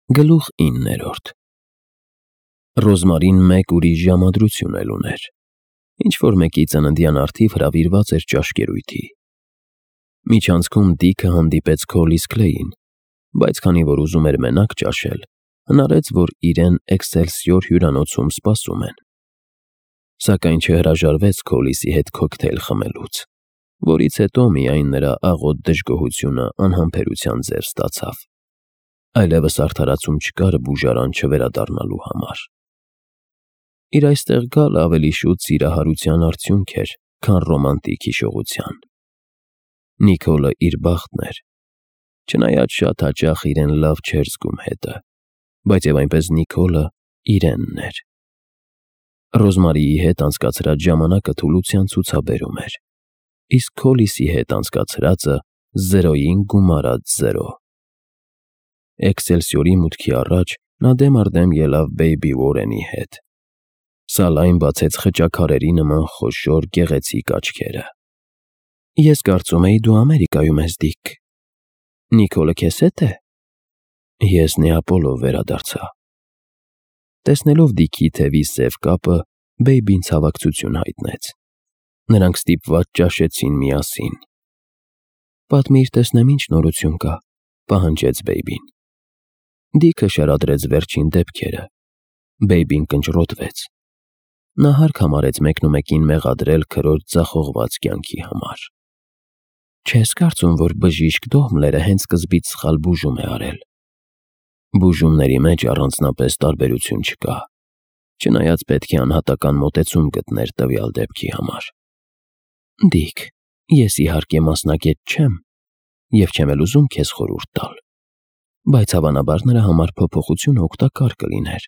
Գլուխ 9 Ռոզմարին մեկ ուրիշ ժամադրություն էլ ուներ, ինչ-որ մեկի ծննդյան առթիվ հրավիրված էր ճաշկերույթի։ Միջանցքում Դիքը հանդիպեց Քոլիս Քլեյին, բայց քանի որ ուզում էր մենակ ճաշել, հնարեց, որ իրեն Էքսելսիոր հյուրանոցում սպասում են։ Սակայն չհրաժարվեց Քոլիսի հետ քոքթեյլ խմելուց, որից հետո միայն նրա աղոտ դժգոհությունը անհամբերության ձև ստացավ։ Այլևս արդարացում չկար բուժարան չվերադառնալու համար։ Իր այստեղ գալը ավելի շուտ սիրահարության արդյունք էր, քան ռոմանտիկ հիշողության։ Նիկոլը իր բախտն էր, չնայած շատ հաճախ իրեն լավ չէր զգում հետը, բայց և այնպես Նիկոլը իրենն էր։ Ռոզմարիի հետ անցկացրած ժամանակը թուլության ցուցաբերում էր, իսկ Քոլիսի հետ անցկացրածը 0-ին գումարած 0։ Էքսելսիորի մուտքի առաջ նա դեմ առ դեմ ելավ Բեյբի Ուորենի հետ։ Սալայն բացեց խճաքարերի նման խոշոր գեղեցիկ աչքերը։ Ես կարծում էի դու Ամերիկայում ես, Դիք։ Նիկոլը քեզ հետ է։ Ես Նեապոլով վերադարձա։ Տեսնելով Դիքի թևի սև կապը, Բեյբին ցավակցություն հայտնեց։ Նրանք ստիպված ճաշեցին միասին։ Պատմիր, տեսնեմ ինչ նորություն կա, պահանջեց Բեյբին։ Դիքը շարադրեց վերջին դեպքերը։ Բեյբին կնճռոտվեց։ Նա հարկ համարեց մեկնումեկին մեղադրել քրոջ ձախողված կյանքի համար։ Չես կարծում, որ բժիշկ Դոհմլերը հենց սկզբից սխալ բուժում է արել։ Բուժումների մեջ առանձնապես տարբերություն չկա, չնայած պետք է անհատական մոտեցում գտներ տվյալ դեպքի համար։ Դիք, ես իհարկե մասնագետ չեմ և չեմ էլ ուզում քեզ խորհուրդ տալ, բայց հավանաբար նրա համար փոփոխությունը օգտակար կլիներ։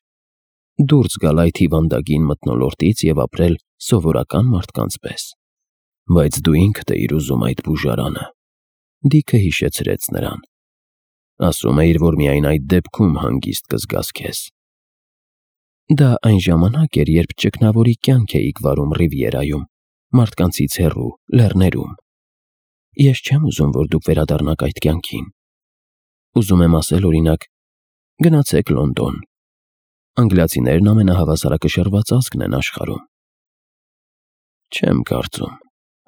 Դուրս գալ այդ հիվանդագին մթնոլորտից և ապրել սովորական մարդկանց պես։ Բայց դու ինքդ էիր ուզում այդ բուժարանը։ Դիքը հիշեցրեց նրան։ Ասում էիր, որ միայն այդ դեպքում հանգիստ կզգաս քեզ։ Դա այն ժամանակ էր, երբ ճգնավորի կյանք էիք վարում Ռիվիերայում, մարդկանցից հեռու, լեռներում։ Ես չեմ ուզում, որ դուք վերադառնաք այդ կյանքին։ Ուզում եմ ասել, օրինակ, գնացեք Լոնդոն։ Անգլիացիներն ամենահավասարակշռված ազգն են աշխարհում։ Չեմ կարծում,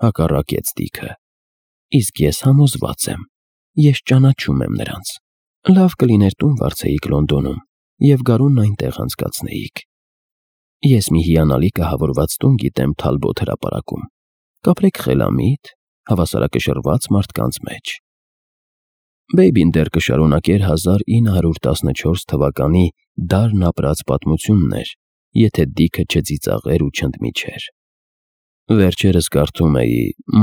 հակառակեց Դիքը։ Իսկ ես համոզված եմ, ես ճանաչում եմ նրանց։ Լավ կլիներ տուն վարձեիք Լոնդոնում և գարունն այնտեղ անցկացնեիք։ Ես մի հիանալի կահավորված տուն գիտեմ Թալբոթ հրապարակում։ Կապրեք խելամիտ, հավասարակշռված մարդկանց մեջ։ Բեյբին դեռ կշարունակեր 1914 թվականի դարն ապրած պատմություններ, եթե Դիքը չծիծաղեր ու չընդմիջեր։ Վերջերս կարդում էի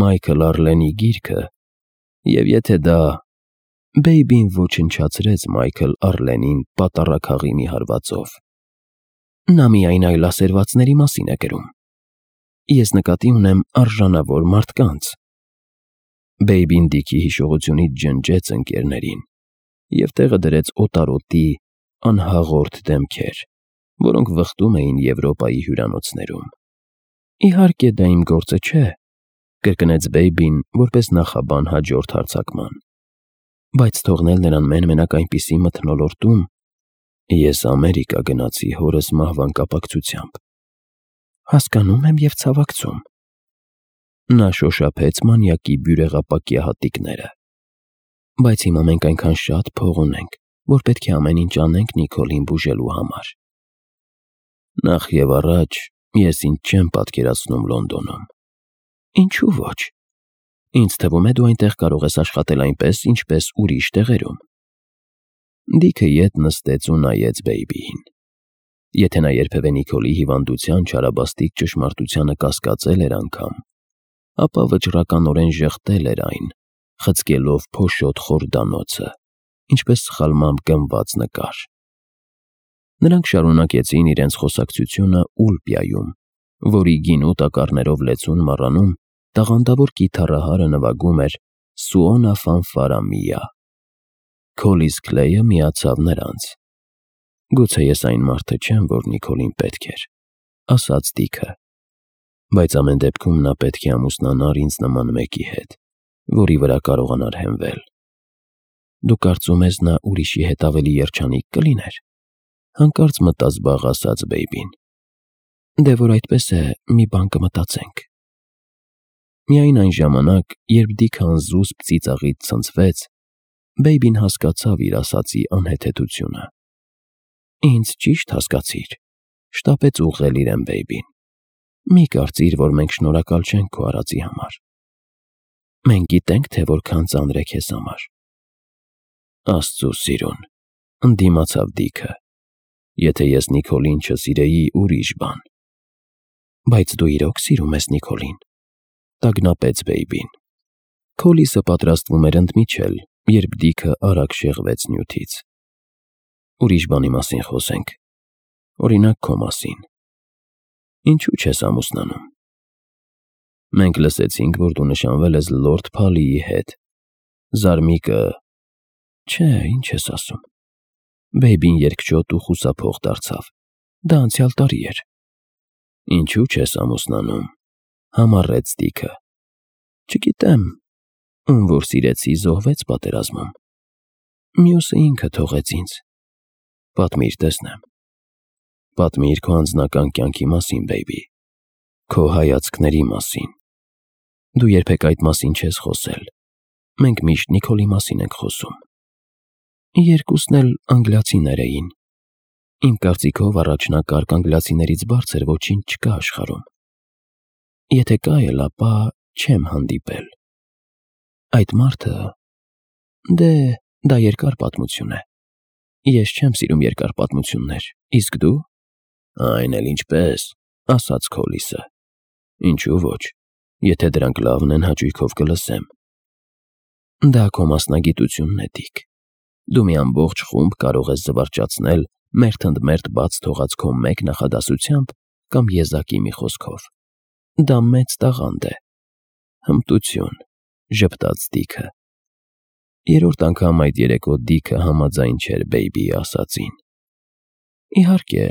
Մայքլ Արլենի գիրքը, և եթե դա… Բեյբին ոչնչացրեց Մայքլ Արլենին պատառաքաղի մի հարվածով։ Նա միայն այլասերվածների մասին է գրում։ Ես նկատի ունեմ արժանավոր մարդկանց։ Բեյբին Դիքի հիշողությունից ջնջեց ընկերներին և տեղը դրեց օտարոտի անհաղորդ դեմքեր, որոնք վխտում էին Եվրոպայի հյուրանոցներում։ Իհարկե դա իմ գործը չէ, կրկնեց Բեյբին որպես նախաբան հաջորդ հարձակման։ Բայց թողնել նրան մեն-մենակ այնպիսի մթնոլորտում… Ես Ամերիկա գնացի հորս մահվան կապակցությամբ։ Հասկանում եմ և ցավակցում։ Նա շոշափեց մանյակի բյուրեղապակյա հատիկները։ Բայց հիմա մենք այնքան շատ փող ունենք, որ պետք է ամեն ինչ անենք Նիկոլին բուժելու համար։ Նախ և առաջ ես ինձ չեմ պատկերացնում Լոնդոնում։ Ինչու ոչ։ Ինձ թվում է դու այնտեղ կարող ես աշխատել այնպես, ինչպես ուրիշ տեղերում։ Դիքը ետ նստեց ու նայեց Բեյբիին։ Եթե նա երբևէ Նիկոլի հիվանդության չարաբաստիկ ճշմարտությանը կասկածել էր անգամ, ապա վճռականորեն ժխտել էր այն, խցկելով փոշոտ խորդանոցը, ինչպես սխալմամբ գնված նկար։ Նրանք շարունակեցին իրենց խոսակցությունը Ուլպիայում, որի գինու տակառներով լեցուն մառանում տաղանդավոր կիթառահարը նվագում էր Սուոնա ֆանֆարա միա։ Քոլիս Քլեյը միացավ նրանց։ Գուցե ես այն մարդը չեմ, որ Նիկոլին պետք էր, ասաց Դիքը, բայց ամեն դեպքում նա պետք է ամուսնանար ինձ նման մեկի հետ, որի վրա կարողանար հենվել։ Դու կարծում ես նա ուրիշի հետ ավելի երջանիկ կլիներ։ Հանկարծ մտած բաղ ասաց Բեյբին։ Դե որ այդպես է, մի բան կմտածենք։ Միայն այն ժամանակ, երբ Դիքը անզուսպ ծիծաղից ցնցվեց, Բեյբին հասկացավ իր ասածի անհեթեթությունը։ Ինձ ճիշտ հասկացիր, շտապեց ուղղել իրեն Բեյբին։ Մի կարծիր, որ մենք շնորհակալ չենք քո արածի համար։ Մենք գիտենք, թե որքան ծանր է քեզ համար։ Աստծո սիրուն, ընդդիմացավ Դիքը։ Եթե ես Նիկոլին չսիրեի, ուրիշ բան։ Բայց դու իրոք սիրում ես Նիկոլին, տագնապեց Բեյբին։ Քոլիսը պատրաստվում էր ընդմիջել, երբ Դիքը արագ շեղվեց նյութից։ Ուրիշ բանի մասին խոսենք։ Օրինակ քո մասին։ Ինչու չես ամուսնանում։ Մենք լսեցինք, որ դու նշանվել ես Լորդ Փալիի հետ։ Զարմիկը… Չէ, ինչ ես ասում։ Բեյբին երկչոտ ու խուսափող դարձավ։ Դա անցյալ տարի էր։ Ինչու չես ամուսնանում, համառեց Դիքը։ Չգիտեմ, ում որ սիրեցի զոհվեց պատերազմում։ Մյուսը ինքը թողեց ինձ։ Պատմիր տեսնեմ։ Պատմիր քո անձնական կյանքի մասին, Բեյբի, քո հայացքների մասին։ Դու երբեք այդ մասին չես խոսել։ Մենք միշտ Նիկոլի մասին ենք խոսում։ Երկուսն էլ անգլիացիներ էին։ Իմ կարծիքով առաջնակարգ անգլիացիներից բարձր ոչինչ չկա աշխարհում։ Եթե կա էլ, ապա չեմ հանդիպել։ Այդ մարդը… Դե, դա երկար պատմություն է։ Ես չեմ սիրում երկար պատմություններ, իսկ դու… Այն էլ ինչպես, ասաց Քոլիսը։ Ինչու ոչ, եթե դրանք լավն են, հաճույքով կլսեմ։ Դա քո մասնագիտությունն է, Դիկ։ Դու մի ամբողջ խումբ կարող ես զվարճացնել մերթ ընդ մերթ բաց թողած քո մեկ նախադասությամբ կամ եզակի մի խոսքով։ Դա մեծ տաղանդ է։ Հմտություն, ժպտաց Դիքը։ Երրորդ անգամ այդ երեկո Դիքը համաձայն չէր Բեյբիի ասածին։ Իհարկե,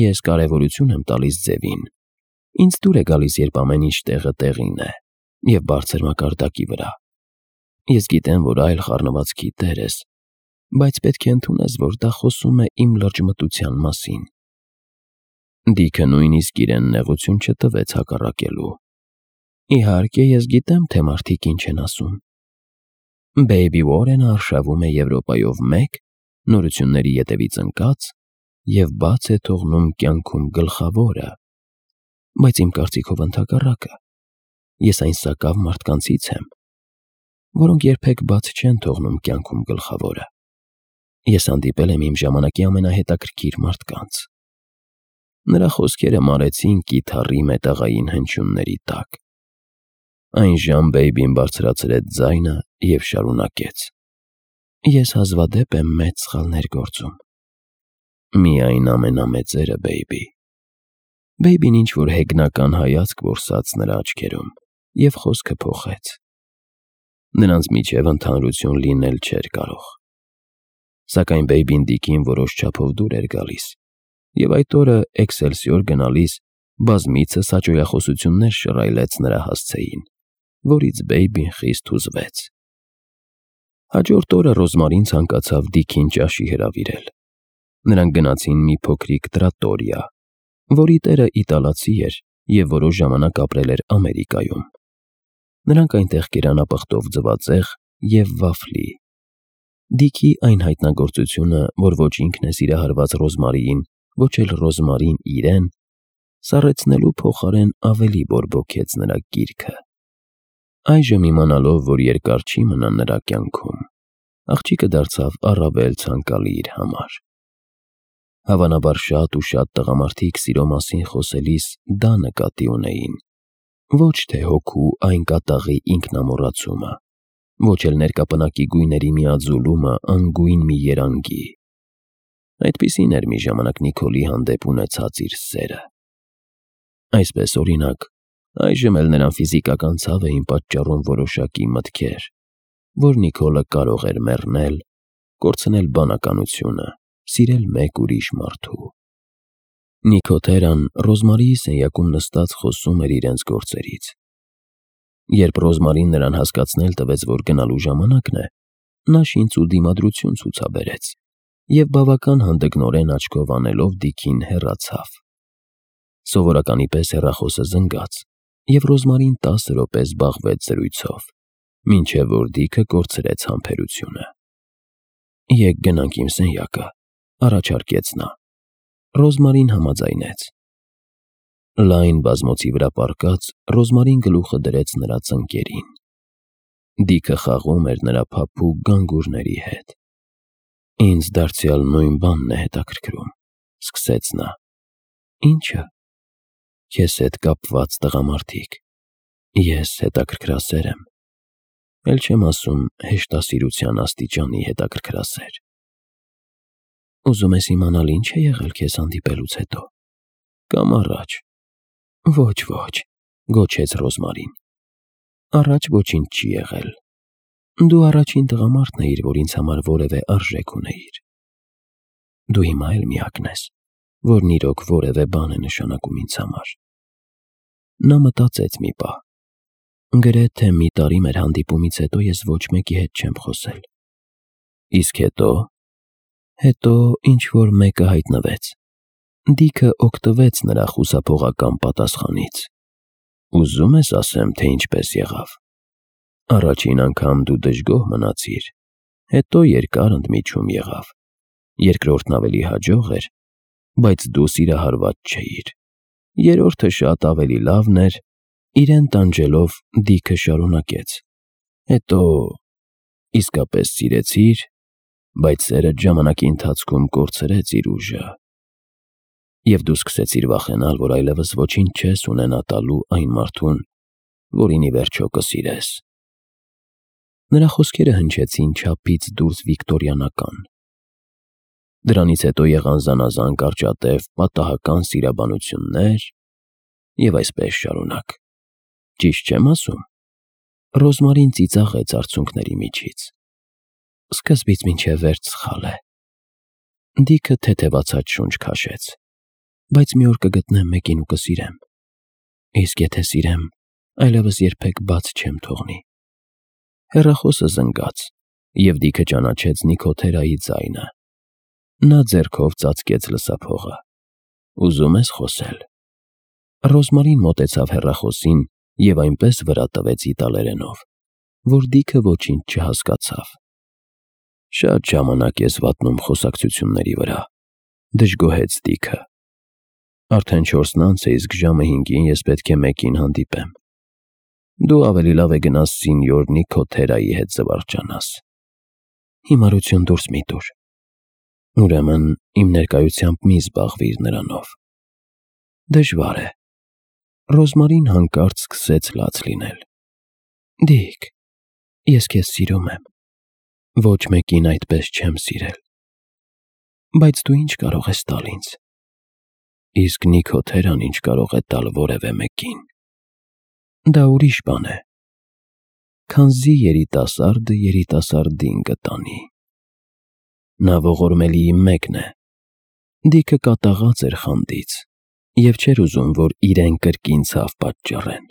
ես կարևորություն եմ տալիս ձևին։ Ինձ դուր է գալիս, երբ ամեն ինչ տեղը տեղին է և բարձր մակարդակի վրա։ Ես գիտեմ, որ այլ խառնվածքի տեր ես, բայց պետք է ընդունես, որ դա խոսում է իմ լրջմտության մասին։ Դիքը նույնիսկ իրեն նեղություն չտվեց հակառակելու։ Իհարկե, ես գիտեմ, թե մարդիկ ինչ են ասում։ Բեյբի Ուորենը արշավում է Եվրոպայով մեկ, նորությունների ետևից ընկած և բաց է թողնում կյանքում գլխավորը։ Բայց իմ կարծիքով ընդհակառակը։ Ես այն սակավ մարդկանցից եմ, որոնք երբեք բաց չեն թողնում կյանքում գլխավորը։ Ես հանդիպել եմ իմ ժամանակի ամենահետաքրքիր մարդկանց։ Նրա խոսքերը մարեցին կիթառի մետաղային հնչյունների տակ։ Այնժամ Բեյբին բարձրացրեց ձայնը և շարունակեց. Ես հազվադեպ եմ մեծ սխալներ գործում։ Միայն ամենամեծերը, Բեյբի։ Բեյբին ինչ-որ հեգնական հայացք որսաց նրա աչքերում և խոսքը փոխեց։ Նրանց միջև ընդհանրություն լինել չէր կարող։ Սակայն Բեյբին Դիկին որոշ չափով դուր էր գալիս, և այդ օրը Էքսելսիոր գնալիս բազմիցս հաճոյախոսություններ շռայլեց նրա հասցեին, որից Բեյբին խիստ հուզվեց։ Հաջորդ օրը Ռոզմարին ցանկացավ Դիկին ճաշի հրավիրել։ Նրանք գնացին մի փոքրիկ տրատորիա, որի տերը իտալացի էր և որոշ ժամանակ ապրել էր Ամերիկայում։ Նրանք այնտեղ կերան ապխտով ձվածեղ և վաֆլի։ Դիկի այն հայտնագործությունը, որ ոչ ինքն է սիրահարված Ռոզմարիին, ոչ էլ Ռոզմարին իրեն, սառեցնելու փոխարեն ավելի բորբոքեց նրա գիրքը։ Այժմ իմանալով, որ երկար չի մնա նրա կյանքում, աղջիկը դարձավ առավել ցանկալի իր համար։ Հավանաբար շատ ու շատ տղամարդիկ սիրո մասին խոսելիս դա նկատի ունեին, ոչ թե հոգու այն կատաղի ինքնամոռացումը, ոչ էլ ներկապնակի գույների միաձուլումը անգույն մի երանգի։ Այդպիսին էր մի ժամանակ Նիկոլի հանդեպ ունեցած իր սերը։ Այսպես, օրինակ, այժմ էլ նրան ֆիզիկական ցավ էին պատճառում որոշակի մտքեր, որ Նիկոլը կարող էր մեռնել, կորցնել բանականությունը, սիրել մեկ ուրիշ մարդու։ Նիկոթերան Ռոզմարիի սենյակում նստած խոսում էր իրենց գործերից։ Երբ Ռոզմարին նրան հասկացնել տվեց, որ գնալու ժամանակն է, նա շինծ ու դիմադրություն ցուցաբերեց և բավական հանդգնորեն աչքով անելով Դիքին հեռացավ։ Սովորականի պես հեռախոսը զնգաց, և Ռոզմարին 10 րոպե զբաղվեց զրույցով, մինչև որ Դիքը կորցրեց համբերությունը։ «Եկ գնանք իմ սենյակը», առաջարկեց նա։ Ռոզմարին համաձայնեց։ Լայն բազմոցի վրա պառկած Ռոզմարին գլուխը դրեց նրա ծնկերին։ Դիքը խաղում էր նրա փափուկ գանգուրների հետ։ «Ինձ դարձյալ նույն բանն է հետաքրքրում», սկսեց նա։ «Ի՞նչը»։ «Քեզ հետ կապված տղամարդիկ։ Ես հետաքրքրասեր եմ, էլ չեմ ասում հեշտասիրության աստիճանի հետաքրքրասեր»։ «Ուզում ես իմանալ ինչ է եղել քեզ հանդիպելուց հետո, կամ առաջ»։ «Ոչ», գոչեց Ռոզմարին։ «Առաջ ոչինչ չի եղել։ Դու առաջին տղամարդն էիր, որ ինձ համար որևէ արժեք ունեիր։ Դու հիմա էլ միակն ես, որն իրոք որևէ բան է նշանակում ինձ համար»։ Նա մտածեց մի պահ։ «Գրեթե մի տարի մեր հանդիպումից հետո ես ոչ մեկի հետ չեմ խոսել»։ «Իսկ հետո»։ «Հետո ինչ-որ մեկը հայտնվեց»։ Դիքը օգտվեց նրա խուսափողական պատասխանից։ «Ուզում ես ասեմ, թե ինչպես եղավ։ Առաջին անգամ դու դժգոհ մնացիր, հետո երկար ընդմիջում եղավ, երկրորդն ավելի հաջող էր, բայց դու սիրահարված չէիր, երրորդը շատ ավելի լավն էր»։ Իրեն տանջելով Դիքը շարունակեց։ «Հետո իսկապես սիրեցիր, բայց սերդ ժամանակի ընթացքում կորցրեց իր ուժը, և դու սկսեցիր վախենալ, որ այլևս ոչինչ չես ունենա տալու այն մարդուն, որին ի վերջո կսիրես»։ Նրա խոսքերը հնչեցին չափից դուրս վիկտորյանական։ Դրանից հետո եղան զանազան կարճատև պատահական սիրաբանություններ և այսպես շարունակ։ Ճիշտ չեմ ասում։ Ռոզմարին ծիծաղեց արցունքների միջից։ Սկզբից մինչև վերջ սխալ է։ Դիքը թեթևացած շունչ քաշեց։ Բայց մի օր կգտնեմ մեկին ու կսիրեմ։ Իսկ եթե սիրեմ, այլևս երբեք բաց չեմ թողնի։ Հեռախոսը զնգաց, և Դիքը ճանաչեց Նիքոթերայի ձայնը։ Նա ձեռքով ծածկեց լսափողը։ «Ուզում ես խոսել»։ Ռոզմարին մոտեցավ հեռախոսին և այնպես վրա տվեց իտալերենով, որ Դիքը ոչինչ չհասկացավ։ «Շատ ժամանակ ես վատնում խոսակցությունների վրա», դժգոհեց Դիքը։ «Արդեն 4-ն անց է, իսկ ժամը 5-ին ես պետք է մեկին հանդիպեմ։ Դու ավելի լավ է գնաս սինյոր Նիքոթերայի հետ զվարճանաս»։ «Հիմարություն դուրս մի տուր»։ «Ուրեմն իմ ներկայությամբ մի զբաղվիր նրանով»։ «Դժվար է»։ Ռոզմարին հանկարծ սկսեց լաց լինել։ «Դիք, ես քեզ սիրում եմ։ Ոչ մեկին այդպես չեմ սիրել։ Բայց դու ինչ կարող ես տալ ինձ»։ «Իսկ Նիքոթերան ինչ կարող է տալ որևէ մեկին»։ «Դա ուրիշ բան է։ Քանզի երիտասարդը երիտասարդին կտանի»։ Նա ողորմելի մեկն է։ Դիքը կատաղած էր խանդից և չէր ուզում, որ իրեն կրկին ցավ պատճառեն։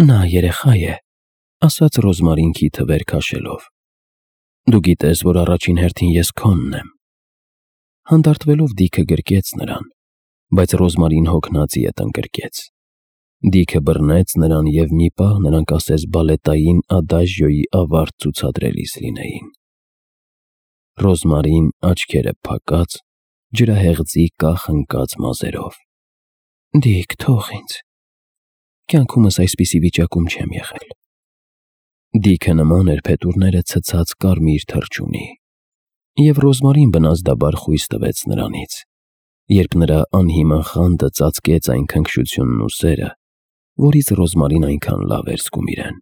«Նա երեխա է», ասաց Ռոզմարին քիթը վեր քաշելով։ «Դու գիտես, որ առաջին հերթին ես քոնն եմ»։ Հանդարտվելով Դիքը գրկեց նրան, բայց Ռոզմարին հոգնած ետ ընկրկեց։ Դիքը բռնեց նրան և մի պահ նրանք ասես բալետային ադաժյոյի ավարտ ցուցադրելիս լինեին։ Ռոզմարին աչքերը փակած, ջրահեղձի կախ ընկած մազերով։ «Դիք, թող ինձ։ Կյանքումս այսպիսի վիճակում չեմ եղել»։ Դիքը նման էր փետուրները ցցած կարմիր թռչունի, և Ռոզմարին բնազդաբար խույս տվեց նրանից, երբ նրա անհիմն խանդը ծածկեց այն քնքշությունն ու սերը, որից Ռոզմարին այնքան լավ էր զգում իրեն։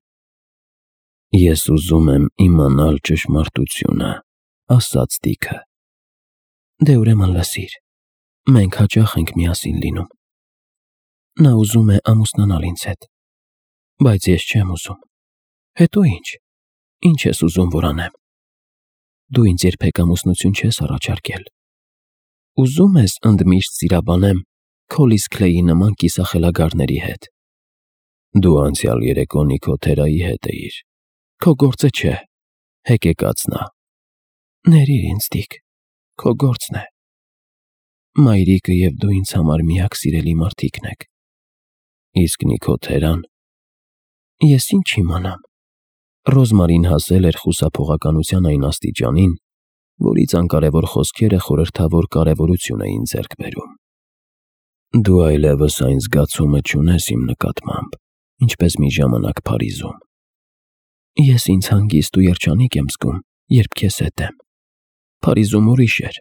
«Ես ուզում եմ իմանալ ճշմարտությունը», ասաց Դիքը։ «Դե ուրեմն լսիր, մենք հաճախ ենք միասին լինում։ Նա ուզում է ամուսնանալ ինձ հետ, բայց ես չեմ ուզում։ Հետո ինչ։ Ինչ ես ուզում, որ անեմ։ Դու ինձ երբեք ամուսնություն չես առաջարկել։ Ուզում ես ընդմիշտ սիրաբանեմ Քոլիս Քլեյի նման կիսախելագարների հետ։ Դու անցյալ երեկո Նիքոթերայի հետ էիր։ Քո գործը չէ։ Հեկեկաց նա։ Ներիր ինձ, Դիկ, քո գործն է։ Մայրիկը և դու ինձ համար միակ սիրելի մարդիկն եք։ Իսկ Նիքոթերան։ Ես ինչ իմանամ։ Ռոզմարին հասել էր խուսափողականության այն աստիճանին, որից անկարևոր խոսքերը խորհրդավոր կարևորություն էին ձեռք բերում։ Դու այլևս այն զգացումը չունես իմ նկատմամբ, ինչպես մի ժամանակ Փարիզում։ Ես ինձ հանգիստ ու երջանիկ եմ զգում, երբ քեզ հետ եմ։ Փարիզում ուրիշ էր։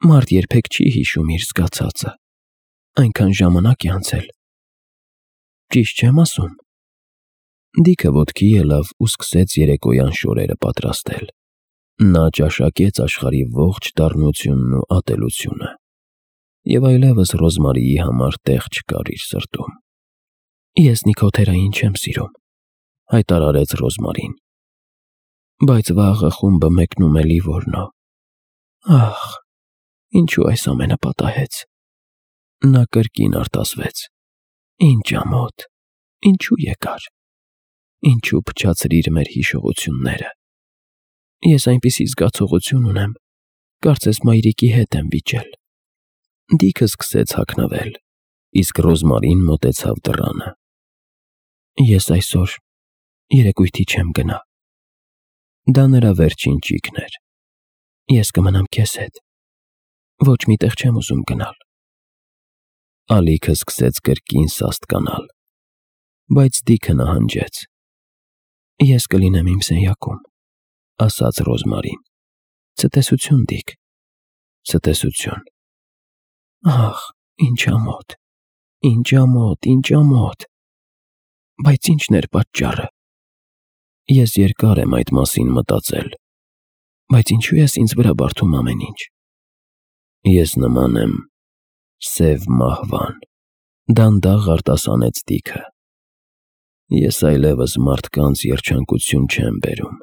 Մարդ երբեք չի հիշում իր զգացածը։ Այնքան ժամանակ է անցել։ Ճիշտ չեմ ասում։ Դիքը ոտքի ելավ ու սկսեց երեկոյան շորերը պատրաստել։ Նա ճաշակեց աշխարհի ողջ դառնությունն ու ատելությունը։ Եվ այլևս Ռոզմարիի համար տեղ չկար իր սրտում։ Ես Նիքոթերային չեմ սիրում, հայտարարեց Ռոզմարին։ Բայց վաղը խումբը մեկնում է Լիվորնո։ Ահ, ինչու այս ամենը պատահեց։ Նա կրկին արտասվեց։ Ինչ ամոթ, ինչու եկար։ Ինչու փչացրիր մեր հիշողությունները։ Ես այնպիսի զգացողություն ունեմ, կարծես մայրիկի հետ եմ վիճել։ Դիքը սկսեց հագնվել, իսկ Ռոզմարին մոտեցավ դռանը։ Ես այսօր երեկույթի չեմ գնա։ Դա նրա վերջին ճիգն էր։ Ես կմնամ քեզ հետ։ Ոչ մի տեղ չեմ ուզում գնալ։ Ալիքը սկսեց կրկին սաստկանալ, բայց Դիքը նահանջեց։ Ես կլինեմ իմ սենյակում, ասաց Ռոզմարին։ Ցտեսություն, Դիկ, ցտեսություն։ Ահ, ինչ ամոթ, ինչ ամոթ, ինչ ամոթ։ Բայց ի՞նչն էր պատճառը։ Ես երկար եմ այդ մասին մտածել, բայց ինչու ես ինձ վրա բարդում ամեն ինչ։ Ես նման եմ սև մահվան, դանդաղ արտասանեց Դիքը։ Ես այլևս մարդկանց երջանկություն չեմ բերում։